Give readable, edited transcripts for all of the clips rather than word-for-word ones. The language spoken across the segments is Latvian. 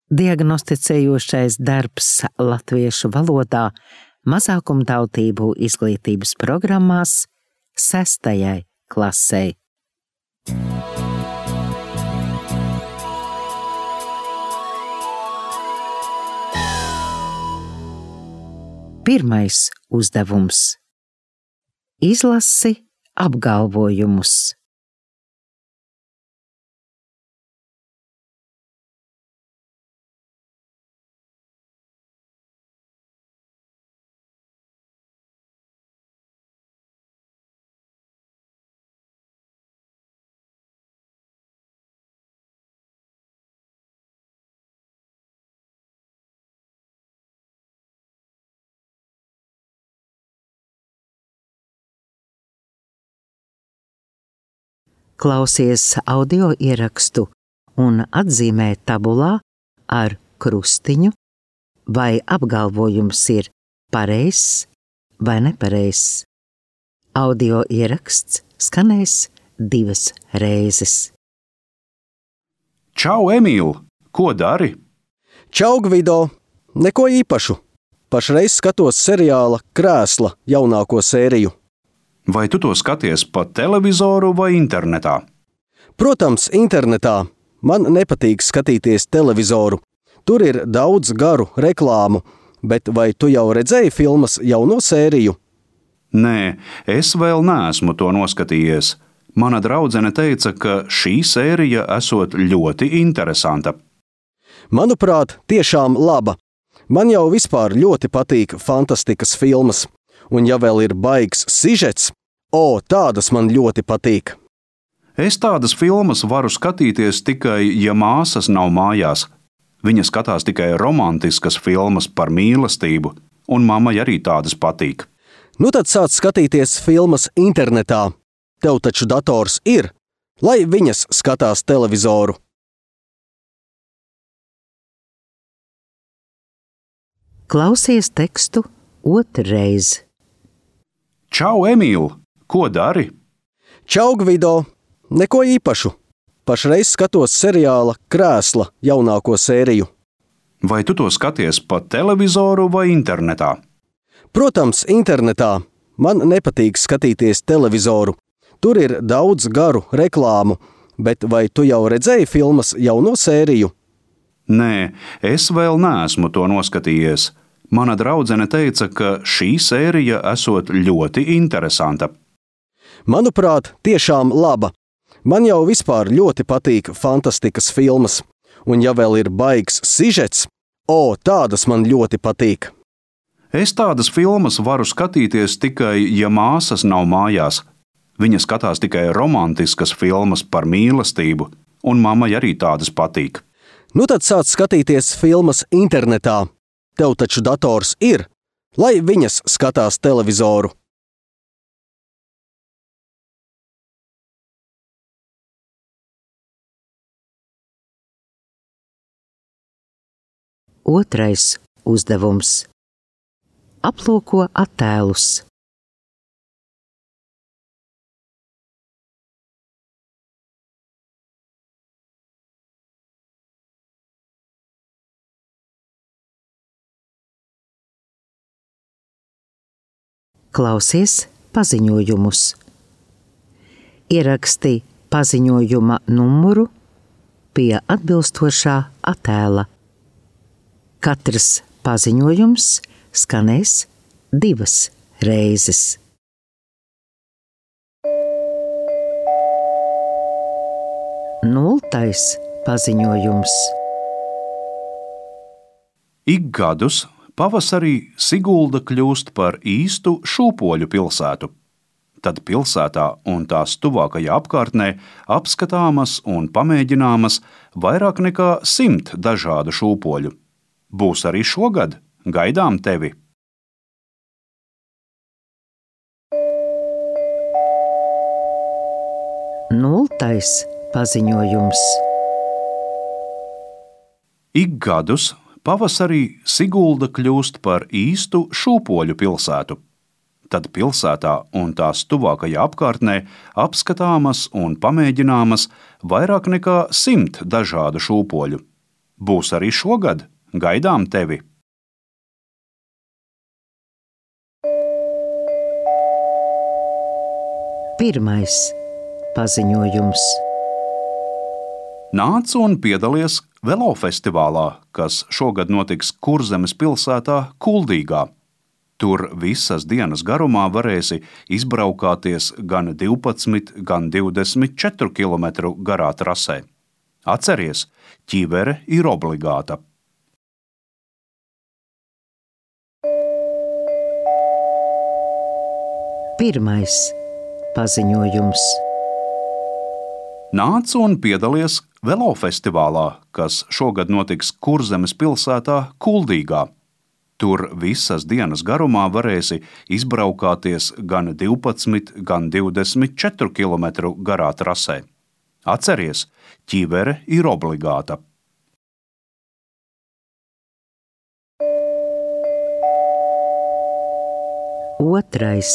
Diagnosticējošais darbs latviešu valodā mazākumtautību izglītības programmās 6. klasei. Pirmais uzdevums. Izlasi apgalvojumus. Klausies audio ierakstu un atzīmē tabulā ar krustiņu, vai apgalvojums ir pareizs vai nepareizs. Audio ieraksts skanēs 2 reizes. Čau, Emīl! Ko dari? Čau, Gvido! Neko īpašu. Pašreiz skatos seriāla Krēsla jaunāko sēriju. Vai tu to skaties pa televizoru vai internetā? Protams, internetā. Man nepatīk skatīties televizoru. Tur ir daudz garu reklāmu, bet vai tu jau redzēji filmas jauno sēriju? Nē, es vēl neesmu to noskatījies. Mana draudzene teica, ka šī sērija esot ļoti interesanta. Manuprāt, tiešām laba. Man jau vispār ļoti patīk fantastikas filmas. Un ja vēl ir baigs sižets, tādas man ļoti patīk. Es tādas filmas varu skatīties tikai, ja māsas nav mājās. Viņa skatās tikai romantiskas filmas par mīlestību, un mammai arī tādas patīk. Nu tad sāc skatīties filmas internetā. Tev taču dators ir, lai viņas skatās televizoru. Klausies tekstu otrreiz. Čau, Emīl! Ko dari? Čau, Gvido! Neko īpašu. Pašreiz skatos seriāla Krēsla jaunāko sēriju. Vai tu to skaties pa televizoru vai internetā? Protams, internetā. Man nepatīk skatīties televizoru. Tur ir daudz garu reklāmu, bet vai tu jau redzēji filmas jauno sēriju? Nē, es vēl neesmu to noskatījies. Mana draudzene teica, ka šī sērija esot ļoti interesanta. Manuprāt, tiešām laba. Man jau vispār ļoti patīk fantastikas filmas. Un ja vēl ir baigs sižets, tādas man ļoti patīk. Es tādas filmas varu skatīties tikai, ja māsas nav mājās. Viņa skatās tikai romantiskas filmas par mīlestību, un mammai arī tādas patīk. Nu tad sāc skatīties filmas internetā. Tev taču dators ir, lai viņas skatās televizoru. Otrais uzdevums. Aplūko attēlus. Klausies paziņojumus. Ieraksti paziņojuma numuru pie atbilstošā attēla. Katrs paziņojums skanēs 2 reizes. Nultais paziņojums. Ik gadus pavasarī Sigulda kļūst par īstu šūpoļu pilsētu. Tad pilsētā un tās tuvākajā apkārtnē apskatāmas un pamēģināmas vairāk nekā 100 dažādu šūpoļu. Būs arī šogad, gaidām tevi! Nultais paziņojums. Ik gadus pavasarī Sigulda kļūst par īstu šūpoļu pilsētu. Tad pilsētā un tās tuvākajā apkārtnē apskatāmas un pamēģināmas vairāk nekā 100 dažādu šūpoļu. Būs arī šogad. Gaidām tevi! Pirmais paziņojums. Nāc un piedalies velofestivālā, kas šogad notiks Kurzemes pilsētā Kuldīgā. Tur visas dienas garumā varēsi izbraukāties gan 12, gan 24 km garā trasē. Atceries, ķivere ir obligāta. Pirmais paziņojums. Nāc un piedalies velofestivālā, kas šogad notiks Kurzemes pilsētā Kuldīgā. Tur visas dienas garumā varēsi izbraukāties gan 12, gan 24 km garā trasē. Atceries, ķivere ir obligāta. Otrais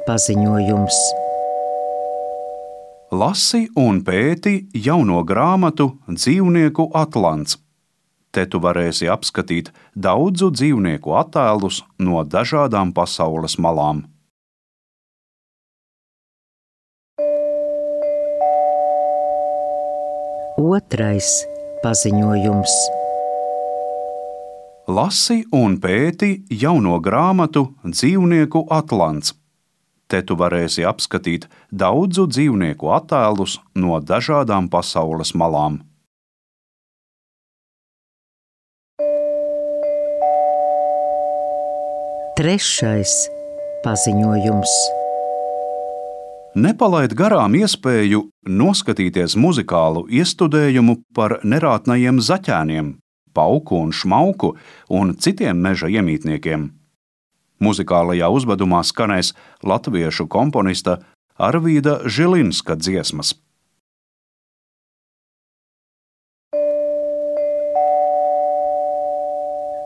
paziņojums. Lasi un pēti jauno grāmatu Dzīvnieku atlants. Te tu varēsi apskatīt daudzu dzīvnieku attēlus no dažādām pasaules malām. Otrais paziņojums. Lasi un pēti jauno grāmatu Dzīvnieku atlants. Te tu varēsi apskatīt daudzu dzīvnieku attēlus no dažādām pasaules malām. Trešais paziņojums. Nepalaid garām iespēju noskatīties muzikālu iestudējumu par nerātnajiem zaķēniem, pauku un šmauku un citiem meža iemītniekiem. Muzikālajā uzvedumā skanēs latviešu komponista Arvīda Žilinska dziesmas.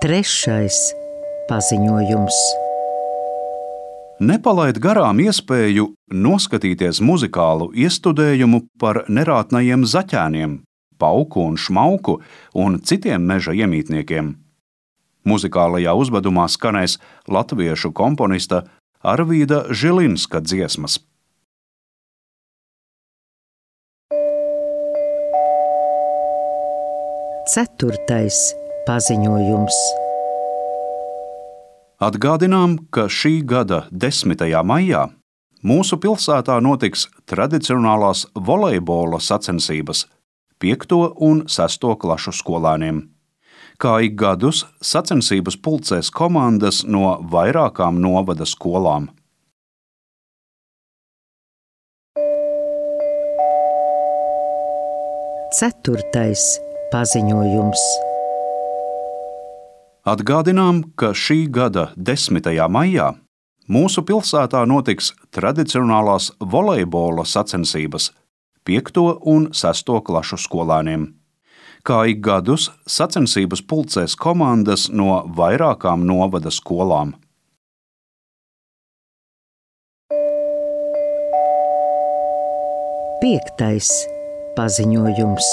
Trešais paziņojums. Nepalaid garām iespēju noskatīties muzikālu iestudējumu par nerātnajiem zaķēniem, pauku un šmauku un citiem meža iemītniekiem. Muzikālajā uzvedumā skanēs latviešu komponista Arvīda Žilinska dziesmas. Ceturtais paziņojums. Atgādinām, ka šī gada 10. maijā mūsu pilsētā notiks tradicionālās volejbola sacensības 5. un 6. klašu skolēniem. Kā ik gadus sacensības pulcēs komandas no vairākām novada skolām. Ceturtais paziņojums. Atgādinām, ka šī gada 10. maijā mūsu pilsētā notiks tradicionālās volejbola sacensības 5. un 6. klašu skolēniem. Kā ik gadus sacensības pulcēs komandas no vairākām novada skolām. Piektais paziņojums.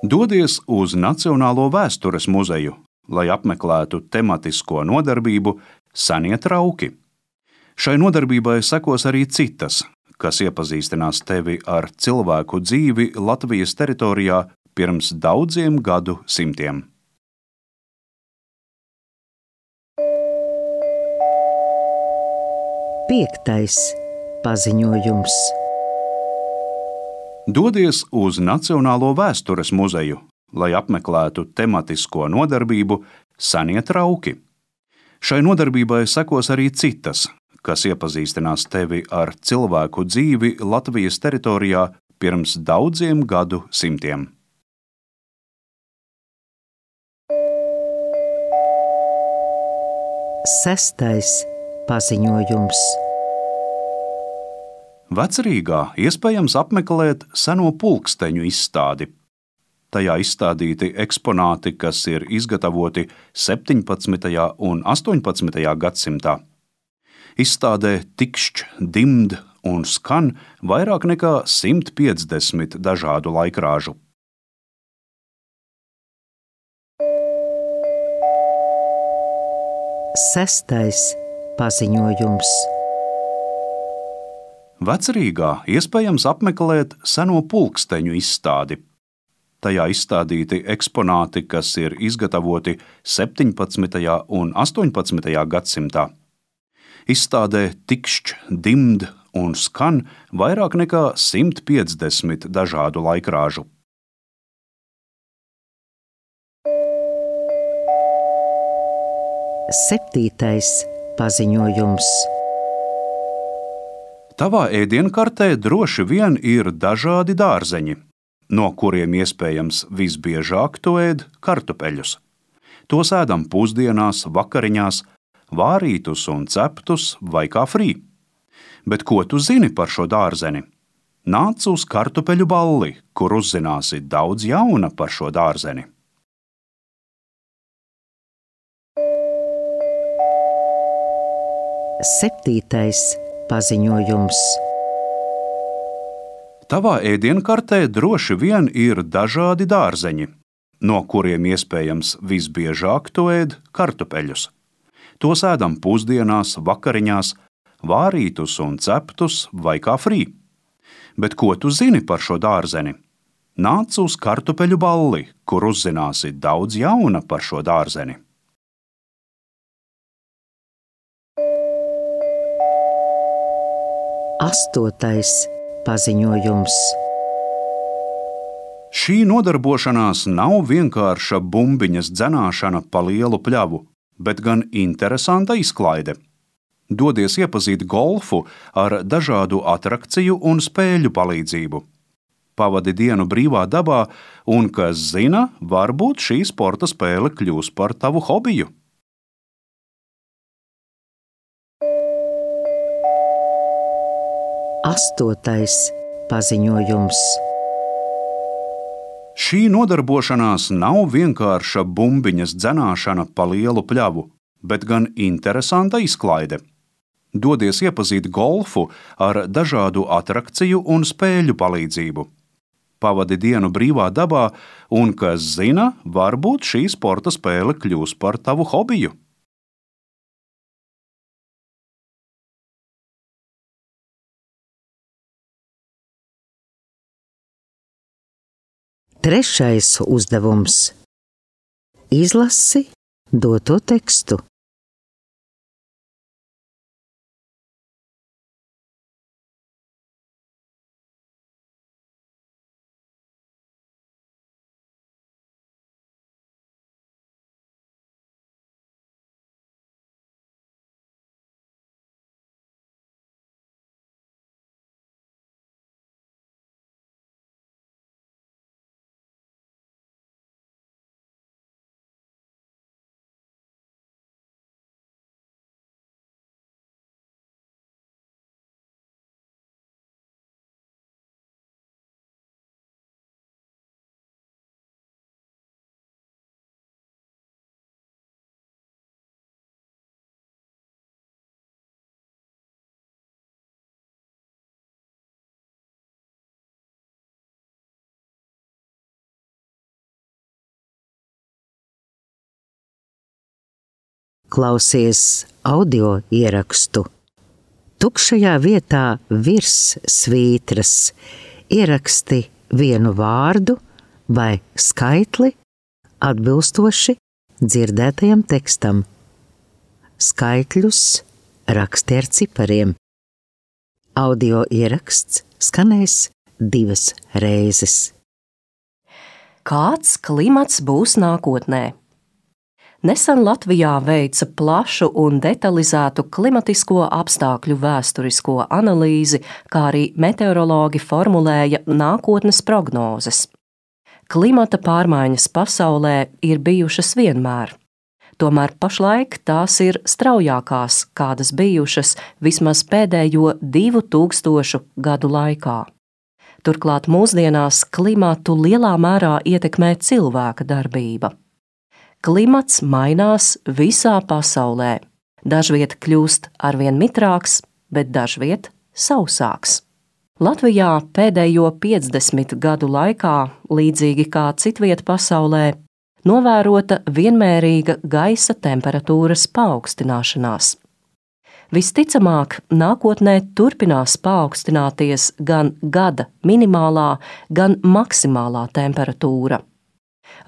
Dodies uz Nacionālo vēstures muzeju, lai apmeklētu tematisko nodarbību Senie trauki. Šai nodarbībai sekos arī citas, kas iepazīstinās tevi ar cilvēku dzīvi Latvijas teritorijā pirms daudziem gadu simtiem. Piektais paziņojums. Dodies uz Nacionālo vēstures muzeju, lai apmeklētu tematisko nodarbību Senie trauki. Šai nodarbībai sekos arī citas, kas iepazīstinās tevi ar cilvēku dzīvi Latvijas teritorijā pirms daudziem gadu simtiem. Sestais paziņojums. Vecrīgā iespējams apmeklēt seno pulksteņu izstādi. Tajā izstādīti eksponāti, kas ir izgatavoti 17. un 18. gadsimtā. Izstādē tikšķ, dimd un skan vairāk nekā 150 dažādu laikrāžu. Sestais paziņojums. Vecrīgā iespējams apmeklēt seno pulksteņu izstādi. Tajā izstādīti eksponāti, kas ir izgatavoti 17. un 18. gadsimtā. Izstādē tikšķ, dimd un skan vairāk nekā 150 dažādu laikrāžu. Septītais paziņojums. Tavā ēdienkartē droši vien ir dažādi dārzeņi, no kuriem iespējams visbiežāk tu ēd kartupeļus. Tos ēdam pusdienās, vakariņās, vārītus un ceptus vai kā frī. Bet ko tu zini par šo dārzeni? Nāc uz kartupeļu balli, kur uzzināsi daudz jauna par šo dārzeni. Septītais paziņojums. Tavā ēdienkartē droši vien ir dažādi dārzeņi, no kuriem iespējams visbiežāk tu ēd kartupeļus. Tos ēdam pusdienās, vakariņās, vārītus un ceptus vai kā frī. Bet ko tu zini par šo dārzeni? Nāc uz kartupeļu balli, kur uzzināsi daudz jauna par šo dārzeni. Astotais paziņojums. Šī nodarbošanās nav vienkārša bumbiņas dzenāšana pa lielu pļavu, bet gan interesanta izklaide. Dodies iepazīt golfu ar dažādu atrakciju un spēļu palīdzību. Pavadi dienu brīvā dabā un, kas zina, varbūt šī sporta spēle kļūs par tavu hobiju. Astotais paziņojums. Šī nodarbošanās nav vienkārša bumbiņas dzenāšana pa lielu pļavu, bet gan interesanta izklaide. Dodies iepazīt golfu ar dažādu atrakciju un spēļu palīdzību. Pavadi dienu brīvā dabā un, kas zina, varbūt šī sporta spēle kļūs par tavu hobiju. Trešais uzdevums. Izlasi doto tekstu. Klausies audio ierakstu. Tukšajā vietā virs svītras ieraksti vienu vārdu vai skaitli atbilstoši dzirdētajam tekstam. Skaitļus raksti ar cipariem. Audio ieraksts skanēs 2 reizes. Kāds klimats būs nākotnē? Nesen Latvijā veica plašu un detalizētu klimatisko apstākļu vēsturisko analīzi, kā arī meteorologi formulēja nākotnes prognozes. Klimata pārmaiņas pasaulē ir bijušas vienmēr. Tomēr pašlaik tās ir straujākās, kādas bijušas vismaz pēdējo 2000 gadu laikā. Turklāt mūsdienās klimatu lielā mērā ietekmē cilvēka darbība. Klimats mainās visā pasaulē. Dažviet kļūst arvien mitrāks, bet dažviet sausāks. Latvijā pēdējo 50 gadu laikā, līdzīgi kā citviet pasaulē, novērota vienmērīga gaisa temperatūras paaugstināšanās. Visticamāk, nākotnē turpinās paaugstināties gan gada minimālā, gan maksimālā temperatūra.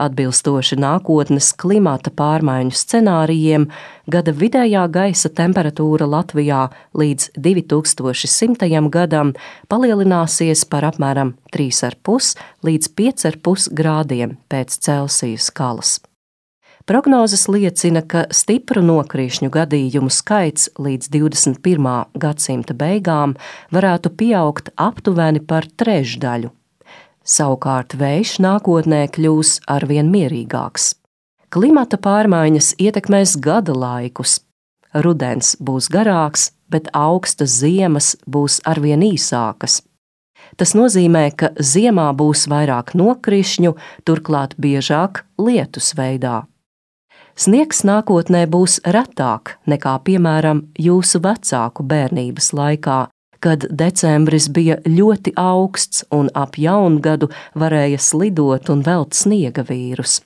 Atbilstoši nākotnes klimata pārmaiņu scenārijiem, gada vidējā gaisa temperatūra Latvijā līdz 2100. gadam palielināsies par apmēram 3,5 līdz 5,5 grādiem pēc Celsija skalas. Prognozes liecina, ka stipru nokrīšņu gadījumu skaits līdz 21. gadsimta beigām varētu pieaugt aptuveni par trešdaļu. Savukārt vējš nākotnē kļūs arvien mierīgāks. Klimata pārmaiņas ietekmēs gada laikus. Rudens būs garāks, bet augstas ziemas būs arvien īsākas. Tas nozīmē, ka ziemā būs vairāk nokrišņu, turklāt biežāk lietus veidā. Sniegs nākotnē būs retāk nekā, piemēram, jūsu vecāku bērnības laikā, kad decembris bija ļoti augsts un ap jaungadu varēja slidot un velt sniega vīrus.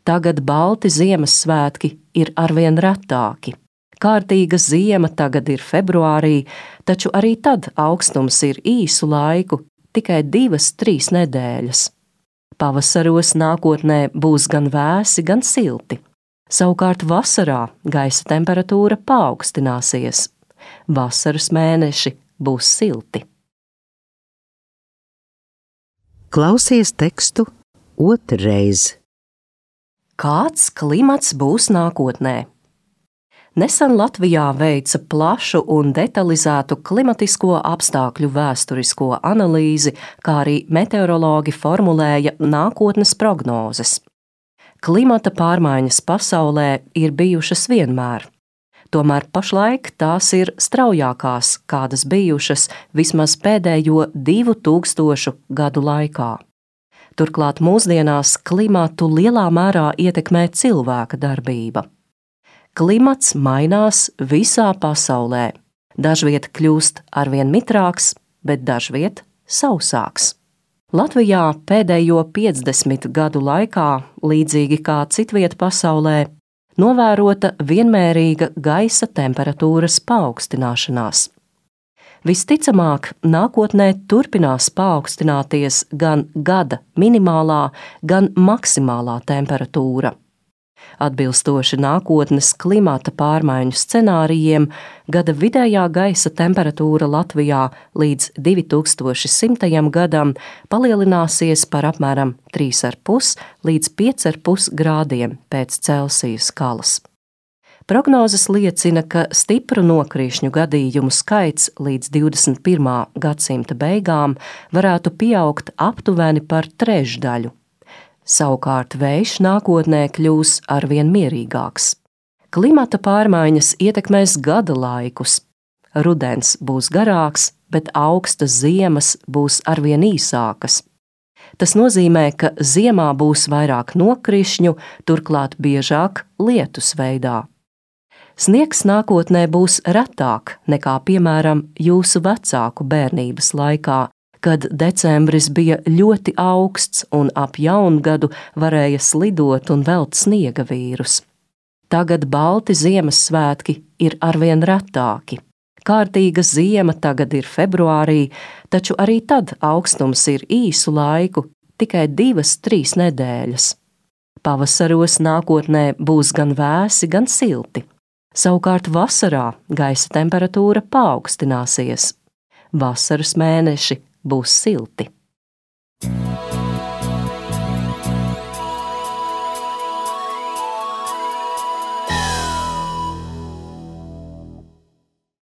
Tagad balti Ziemassvētki ir arvien retāki. Kārtīga ziema tagad ir februārī, taču arī tad augstums ir īsu laiku, tikai 2-3 nedēļas. Pavasaros nākotnē būs gan vēsi, gan silti. Savukārt vasarā gaisa temperatūra paaugstināsies. Vasaras mēneši būs silti. Klausies tekstu otrreiz. Kāds klimats būs nākotnē? Nesen Latvijā veica plašu un detalizētu klimatisko apstākļu vēsturisko analīzi, kā arī meteorologi formulēja nākotnes prognozes. Klimata pārmaiņas pasaulē ir bijušas vienmēr. Tomēr pašlaik tās ir straujākās, kādas bijušas vismaz pēdējo 2000 gadu laikā. Turklāt mūsdienās klimatu lielā mērā ietekmē cilvēka darbība. Klimats mainās visā pasaulē. Dažviet kļūst arvien mitrāks, bet dažviet sausāks. Latvijā pēdējo 50 gadu laikā, līdzīgi kā citviet pasaulē, novērota vienmērīga gaisa temperatūras paaugstināšanās. Visticamāk, nākotnē turpinās paaugstināties gan gada minimālā, gan maksimālā temperatūra. Atbilstoši nākotnes klimata pārmaiņu scenārijiem, gada vidējā gaisa temperatūra Latvijā līdz 2100. gadam palielināsies par apmēram 3,5 līdz 5,5 grādiem pēc Celsija skalas. Prognozes liecina, ka stipru nokrīšņu gadījumu skaits līdz 21. gadsimta beigām varētu pieaugt aptuveni par trešdaļu. Savukārt vējš nākotnē kļūs arvien mierīgāks. Klimata pārmaiņas ietekmēs gada laikus. Rudens būs garāks, bet augstas ziemas būs arvien īsākas. Tas nozīmē, ka ziemā būs vairāk nokrišņu, turklāt biežāk lietus veidā. Sniegs nākotnē būs retāk nekā, piemēram, jūsu vecāku bērnības laikā, kad decembris bija ļoti augsts un ap jaungadu varēja slidot un velt sniega vīrus. Tagad balti Ziemassvētki ir arvien retāki. Kārtīga ziema tagad ir februārī, taču arī tad augstums ir īsu laiku, tikai 2-3 nedēļas. Pavasaros nākotnē būs gan vēsi, gan silti. Savukārt vasarā gaisa temperatūra paaugstināsies. Vasaras mēneši būs silti.